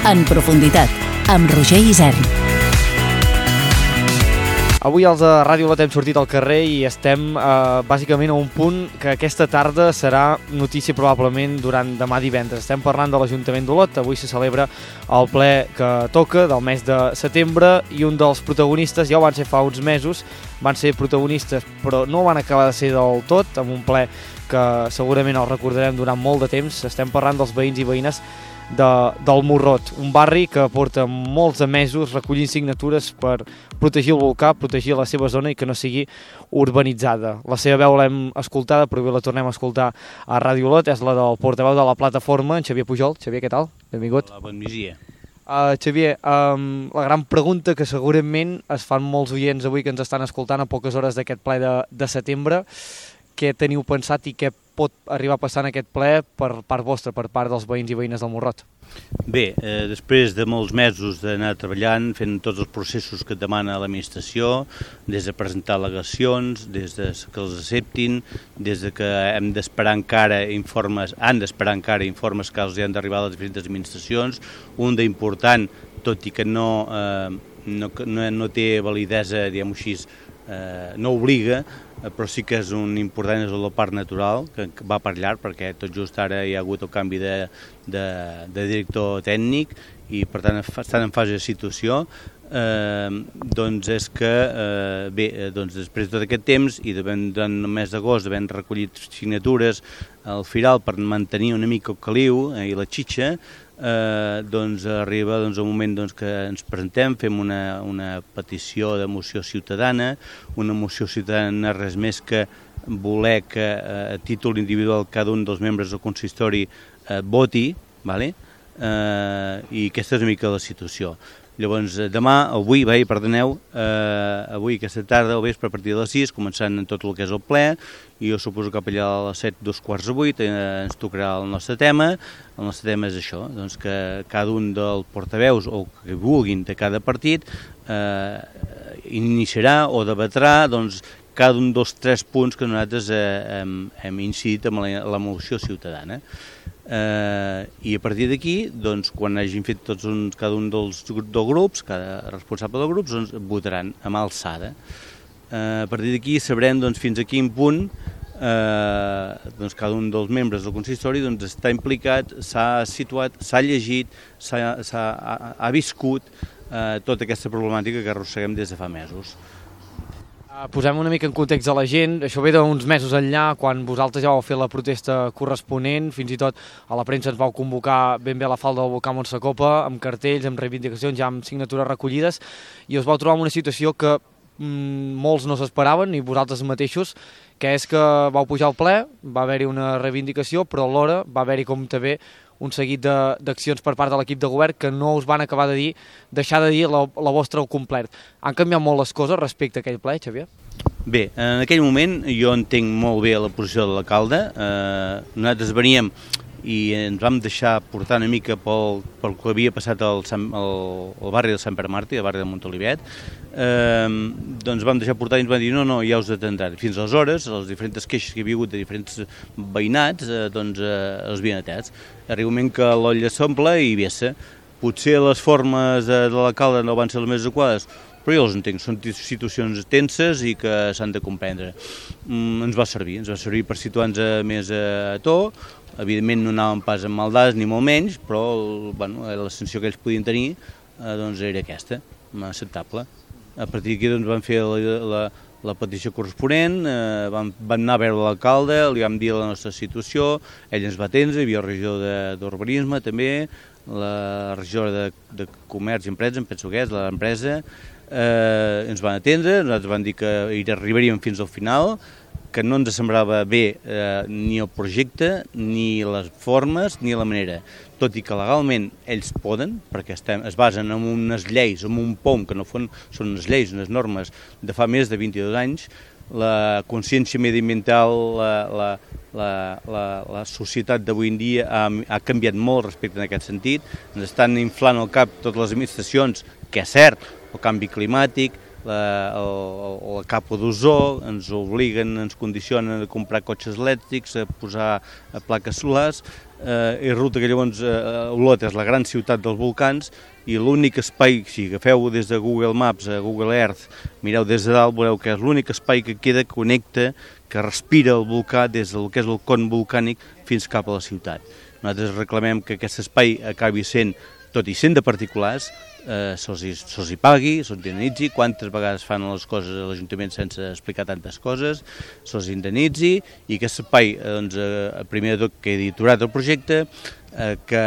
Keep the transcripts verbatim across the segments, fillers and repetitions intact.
En profunditat, amb Roger Isern. Avui els de Ràdio Lot hem sortit al carrer i estem eh, bàsicament a un punt que aquesta tarda serà notícia probablement durant demà divendres. Estem parlant de l'Ajuntament d'Olot. Avui se celebra el ple que toca del mes de setembre i un dels protagonistes, ja ho van ser fa uns mesos, van ser protagonistes però no van acabar de ser del tot, amb un ple que segurament el recordarem durant molt de temps. Estem parlant dels veïns i veïnes de, del Morrot, un barri que porta molts de mesos recollint signatures per protegir el volcà, protegir la seva zona i que no sigui urbanitzada. La seva veu l'hem escoltada, però avui la tornem a escoltar a Ràdio Olot, és la del portaveu de la plataforma, en Xavier Pujol. Xavier, què tal? Benvingut. Hola, bon migdia. Uh, Xavier, um, la gran pregunta que segurament es fan molts oients avui que ens estan escoltant a poques hores d'aquest ple de, de setembre, què teniu pensat i què pot arribar a passar en aquest ple per part vostra, per part dels veïns i veïnes del Morrot? Bé, eh, després de molts mesos d'anar treballant, fent tots els processos que demana l'administració, des de presentar al·legacions, des de que els acceptin, des de que hem d'esperar encara informes, han d'esperar encara informes que els han d'arribar a les diferents administracions, un d'important, tot i que no, eh, no, no, no té validesa, diguem-ho així, eh, no obliga, però sí que és un important, és el parc natural, que va per llarg, perquè tot just ara hi ha hagut el canvi de, de, de director tècnic i per tant estan en fase de situació. Eh, doncs és que, eh, bé, doncs després de tot aquest temps i durant el mes d'agost havent recollit signatures al Firal per mantenir una mica el caliu eh, i la xitxa, eh, doncs arriba doncs, el moment doncs, que ens presentem, fem una, una petició de moció ciutadana, una moció ciutadana res més que voler que eh, a títol individual cada un dels membres del consistori eh, voti, vale? eh, i aquesta és una mica la situació. Llavors, demà, avui, bé, perdoneu, eh, avui aquesta tarda, al vespre, a partir de les sis, començant en tot el que és el ple, i jo suposo que allà a les set, dos quarts de vuit, eh, ens tocarà el nostre tema. El nostre tema és això, doncs que cada un dels portaveus, o que vulguin de cada partit, eh, iniciarà o debatrà, doncs, cada un dels tres punts que nosaltres eh, hem, hem incidit amb la, la moció ciutadana. Eh, i a partir d'aquí, doncs, quan hagin fet tots un, cada un dels, dels grups, cada responsable dels grups, doncs, votaran a mà alçada. Eh, a partir d'aquí sabrem doncs, fins a quin punt eh, doncs, cada un dels membres del consistori doncs, està implicat, s'ha situat, s'ha llegit, s'ha, s'ha, ha, ha viscut eh, tota aquesta problemàtica que arrosseguem des de fa mesos. Posem una mica en context a la gent, això ve d'uns mesos enllà, quan vosaltres ja vau fer la protesta corresponent, fins i tot a la premsa ens vau convocar ben bé a la falda del volcà Montsacopa, amb cartells, amb reivindicacions, ja amb signatures recollides, i us vau trobar en una situació que mm, molts no s'esperaven, ni vosaltres mateixos, que és que vau pujar al ple, va haver-hi una reivindicació, però alhora va haver-hi com també un seguit d'accions per part de l'equip de govern que no us van acabar de dir, deixar de dir la, la vostra al complet. Han canviat molt les coses respecte a aquell ple, Xavier? Bé, en aquell moment jo entenc molt bé la posició de l'alcalde. Eh, nosaltres veníem i ens vam deixar portar una mica pel, pel que havia passat al, al, al barri de Sant Pere Màrtir, al barri de Montolivet. Eh, doncs vam deixar portar i ens van dir no, no, ja us atendran. Fins aleshores, les diferents queixes que hi havia hagut de diferents veïnats, eh, doncs eh, els havien atès. Arriba un moment que l'olla s'omple i vessa. Potser les formes de, de l'alcalde no van ser les més adequades, però jo els entenc, són situacions tenses i que s'han de comprendre. Mm, ens va servir, ens va servir per situar-nos més a to. Evidentment no anàvem pas amb maldades ni molt menys, però bueno, la sensació que ells podien tenir eh, doncs era aquesta, acceptable. A partir d'aquí doncs, vam fer la, la, la petició corresponent, eh, vam, vam anar a veure l'alcalde, li vam dir la nostra situació, ell ens va atendre, hi havia el regidor d'urbanisme també, la regidora de, de comerç i empresa, em penso que és, l'empresa, eh, ens van atendre, nosaltres vam dir que hi arribaríem fins al final, que no ens semblava bé eh, ni el projecte, ni les formes, ni la manera. Tot i que legalment ells poden, perquè estem, es basen en unes lleis, en un POM, que no fon, són unes lleis, unes normes de fa més de vint-i-dos anys, la consciència mediambiental, la, la, la, la, la societat d'avui en dia ha, ha canviat molt respecte en aquest sentit, ens estan inflant al cap totes les administracions, que és cert, el canvi climàtic, la, el, la capa d'ozó, ens obliguen, ens condicionen a comprar cotxes elèctrics, a posar a plaques solars, eh, i resulta que llavors eh, Olot és la gran ciutat dels volcans i l'únic espai, si agafeu des de Google Maps a Google Earth, mireu des de dalt, veureu que és l'únic espai que queda, que connecta, que respira el volcà des del que és el con volcànic fins cap a la ciutat. Nosaltres reclamem que aquest espai acabi sent, tot i sent de particulars, eh, se'ls hi pagui, se'ls indemnitzi, quantes vegades fan les coses a l'Ajuntament sense explicar tantes coses, se'ls indemnitzi, i aquest espai, doncs, eh, primer de tot, quedi aturat el projecte, eh, que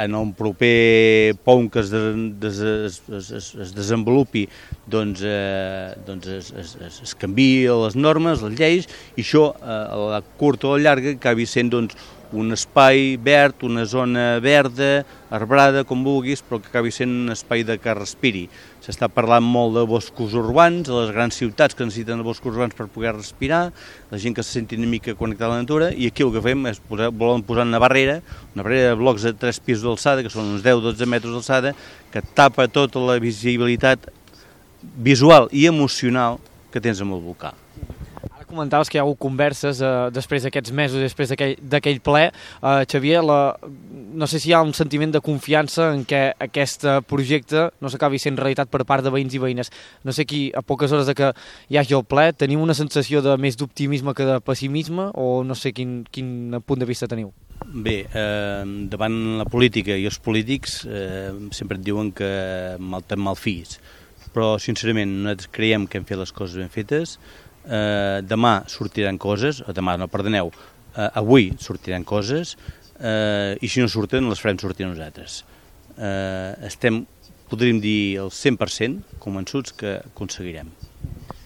en el proper pont que es, des, es, es, es desenvolupi doncs, eh, doncs es, es, es, es canviï les normes, les lleis, i això, eh, a la curta o a la llarga, acabi sent doncs, un espai verd, una zona verda, arbrada, com vulguis, però que acabi sent un espai de que respiri. S'està parlant molt de boscos urbans, de les grans ciutats que necessiten boscos urbans per poder respirar, la gent que se senti una mica connectada a la natura, i aquí el que fem és posar, volen posar una barrera, una barrera de blocs de tres pisos d'alçada, que són uns deu dotze metres d'alçada, que tapa tota la visibilitat visual i emocional que tens amb el volcà. Comentaves que hi ha hagut converses eh, després d'aquests mesos, després d'aquell ple. Eh, Xavier, la, no sé si hi ha un sentiment de confiança en què aquest projecte no s'acabi sent realitat per part de veïns i veïnes. No sé qui, a poques hores de que hi hagi el ple, teniu una sensació de més d'optimisme que de pessimisme, o no sé quin, quin punt de vista teniu? Bé, eh, davant la política i els polítics eh, sempre et diuen que mal ten mal fills, però sincerament nosaltres creiem que hem fet les coses ben fetes. Uh, demà sortiran coses, o demà no, perdoneu, uh, avui sortiran coses, uh, i si no surten les farem sortir nosaltres. Uh, estem, podríem dir, al cent per cent convençuts que aconseguirem.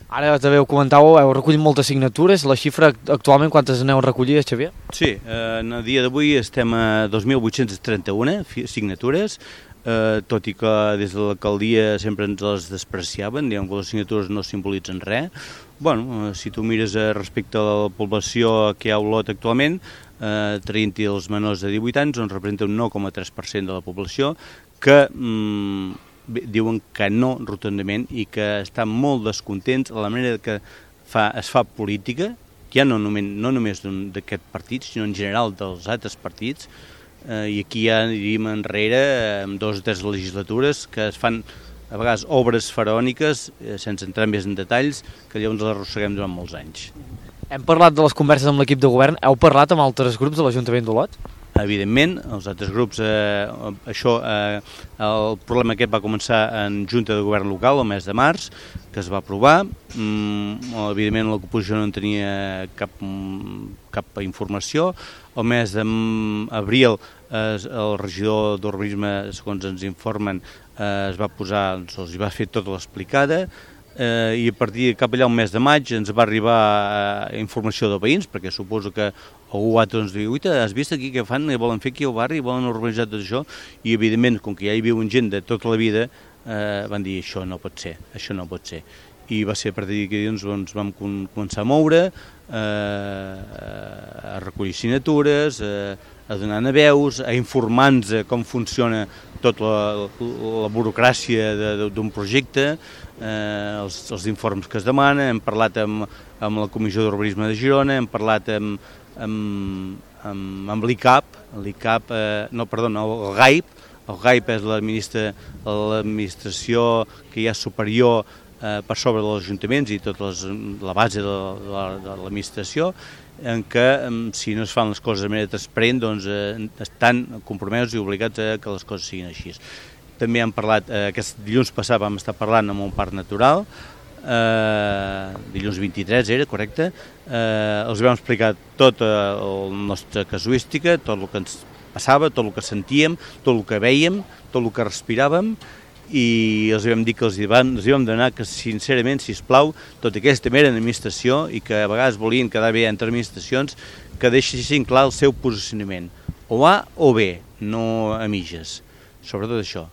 Ara també ho comentàveu, heu recollit moltes signatures, la xifra actualment quantes aneu recollides, Xavier? Sí, uh, en el dia d'avui estem a dos mil vuit-cents trenta-u signatures, Uh, tot i que des de l'alcaldia sempre ens les despreciaven, diguem que les signatures no simbolitzen res. Bueno, uh, si tu mires uh, respecte a la població que hi ha a Olot actualment, uh, traient-hi els menors de divuit anys, doncs representa un nou coma tres per cent de la població que mm, bé, diuen que no rotundament i que estan molt descontents a la manera que fa, es fa política, ja no només, no només d'aquest partit, sinó en general dels altres partits. Uh, i aquí ja diríem enrere amb dues o tres legislatures que es fan a vegades obres faraòniques eh, sense entrar més en detalls, que llavors les arrosseguem durant molts anys. Hem parlat de les converses amb l'equip de govern, heu parlat amb altres grups de l'Ajuntament d'Olot? Evidentment, els altres grups, eh, això, eh, el problema aquest va començar en Junta de Govern Local el mes de març, que es va aprovar. Mm, evidentment l'oposició no en tenia cap, cap informació. El mes d'abril eh, el regidor d'Urbanisme, segons ens informen, eh, es va posar, se'ls va fer tota l'explicada, eh, i a partir de cap allà un mes de maig ens va arribar eh, informació de veïns, perquè suposo que algú altre ens diu, uita, has vist aquí què fan, què volen fer aquí al barri, volen organitzar tot això, i evidentment, com que ja hi viuen gent de tota la vida, eh, van dir, això no pot ser, això no pot ser. I va ser a partir d'aquí doncs, doncs vam començar a moure, eh, a recollir signatures, eh, a donar veus, a informar-nos com funciona tota la, la burocràcia d'un projecte, eh, els, els informes que es demanen. Hem parlat amb, amb la Comissió d'Urbanisme de Girona, hem parlat amb, amb, amb, amb l'I C A P, l'I C A P, eh, no, perdona, el G A I P, el G A I P és l'administració que hi ha superior eh, per sobre dels ajuntaments i tota les, la base de, de, de l'administració, en què si no es fan les coses de manera transparent doncs eh, estan compromesos i obligats a que les coses siguin així. També hem parlat, eh, aquest dilluns passat vam estar parlant amb un parc natural, eh, dilluns vint-i-tres era, correcte, eh, els vam explicar tota la nostra casuística, tot el que ens passava, tot el que sentíem, tot el que vèiem, tot el que respiràvem, i els vam dir que els vam, els vam donar que sincerament, sisplau, tota aquesta mera administració i que a vegades volien quedar bé entre administracions, que deixessin clar el seu posicionament, o A o B, no a mitges, sobretot això.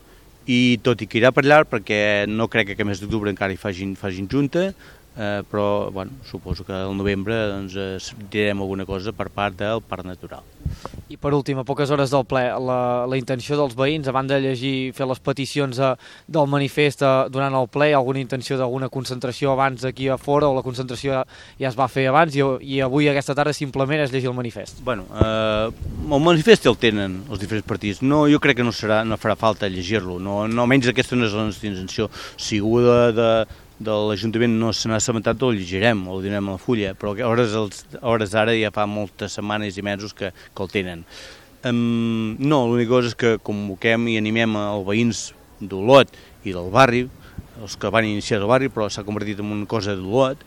I tot i que irà per allà, perquè no crec que a mes d'octubre encara hi facin, facin junta, eh, però bueno, suposo que al novembre doncs, eh, direm alguna cosa per part del Parc Natural. I per últim, a poques hores del ple, la, la intenció dels veïns, a banda de llegir, fer les peticions a, del manifest a, durant el ple, alguna intenció d'alguna concentració abans aquí a fora, o la concentració ja, ja es va fer abans, i, i avui aquesta tarda simplement és llegir el manifest? Bueno, eh, el manifest el tenen els diferents partits. No, jo crec que no, serà, no farà falta llegir-lo, no, no almenys aquesta no és la nostra intenció. Si algú de, de, de l'Ajuntament no se n'ha assabentat, el llegirem, o el direm a la fulla, però a hores, a hores d'ara ja fa moltes setmanes i mesos que, que el tenen. Um, no, l'única cosa és que convoquem i animem els veïns d'Olot i del barri, els que van iniciar el barri, però s'ha convertit en una cosa d'Olot,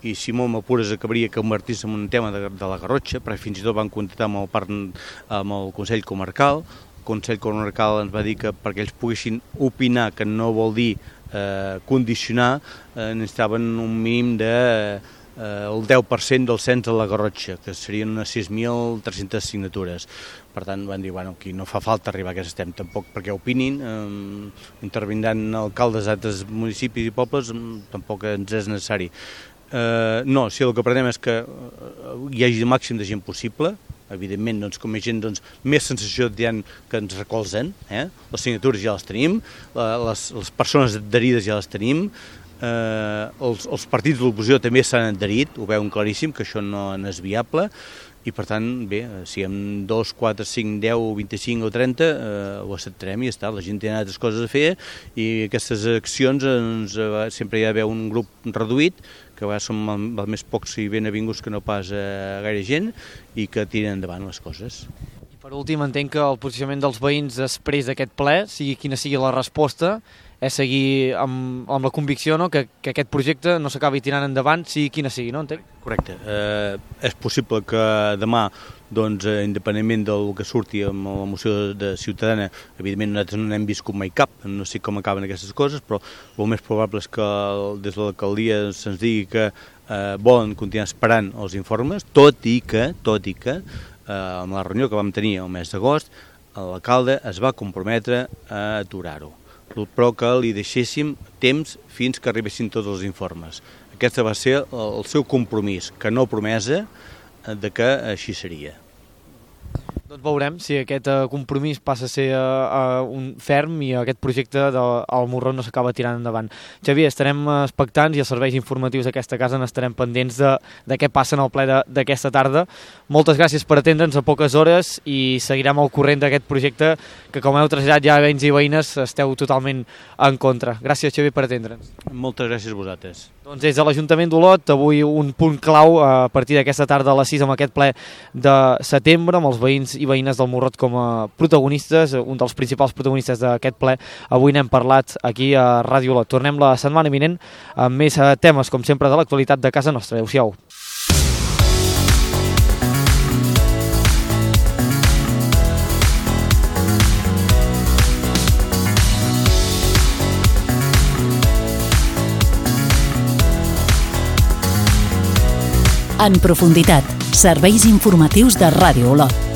i si molt m'apures acabaria convertir-se en un tema de, de la Garrotxa, perquè fins i tot van contactar amb el, parc, amb el Consell Comarcal. El Consell Comarcal ens va dir que perquè ells poguessin opinar, que no vol dir eh, condicionar, eh, necessitaven un mínim de eh, el deu per cent del cens de la Garrotxa, que serien unes sis mil tres-centes signatures. Per tant, van dir, bueno, aquí no fa falta arribar a aquest estem, tampoc perquè opinin, eh, intervindran alcaldes d'altres municipis i pobles, tampoc ens és necessari. Uh, no, si el que prenem és que hi hagi el màxim de gent possible, evidentment, doncs, com hi ha gent, doncs, més sensació hi ha que ens recolzen, eh? Les signatures ja les tenim, les, les persones adherides ja les tenim, uh, els, els partits de l'oposició també s'han adherit, ho veuen claríssim, que això no, no és viable, i per tant, bé, si amb dos, quatre, cinc, deu, vint-i-cinc o trenta eh, ho acceptarem i ja està, la gent té altres coses a fer i aquestes accions doncs, eh, sempre hi ha d'haver un grup reduït, que a vegades som els més pocs i ben avinguts que no pas eh, gaire gent i que tiren endavant les coses. I per últim, entenc que el posicionament dels veïns després d'aquest ple, sigui quina sigui la resposta, és seguir amb, amb la convicció, no?, que, que aquest projecte no s'acabi tirant endavant, sigui quina sigui, no? Entenc? Correcte. Eh, és possible que demà, doncs, eh, independentment del que surti amb la moció de Ciutadana, evidentment nosaltres no n'hem viscut mai cap, no sé com acaben aquestes coses, però el més probable és que des de l'alcaldia se'ns digui que eh, volen continuar esperant els informes, tot i que, tot i que, eh, amb la reunió que vam tenir el mes d'agost, l'alcalde es va comprometre a aturar-ho, però que li deixéssim temps fins que arribessin tots els informes. Aquest va ser el seu compromís, que no promesa, de que així seria. Doncs veurem si aquest uh, compromís passa a ser uh, uh, un ferm i aquest projecte del Morró no s'acaba tirant endavant. Xavier, estarem expectants i els serveis informatius d'aquesta casa n'estarem pendents de, de què passa en el ple d'aquesta tarda. Moltes gràcies per atendre'ns a poques hores i seguirem al corrent d'aquest projecte que, com heu traslladat ja veïns i veïnes, esteu totalment en contra. Gràcies, Xavier, per atendre'ns. Moltes gràcies a vosaltres. Doncs des de l'Ajuntament d'Olot, avui un punt clau a partir d'aquesta tarda a les sis amb aquest ple de setembre, amb els veïns i veïnes del Morrot com a protagonistes, un dels principals protagonistes d'aquest ple. Avui n'hem parlat aquí a Ràdio Olot. Tornem la setmana vinent amb més temes, com sempre, de l'actualitat de casa nostra. Adéu-siau. En profunditat, serveis informatius de Ràdio Olot.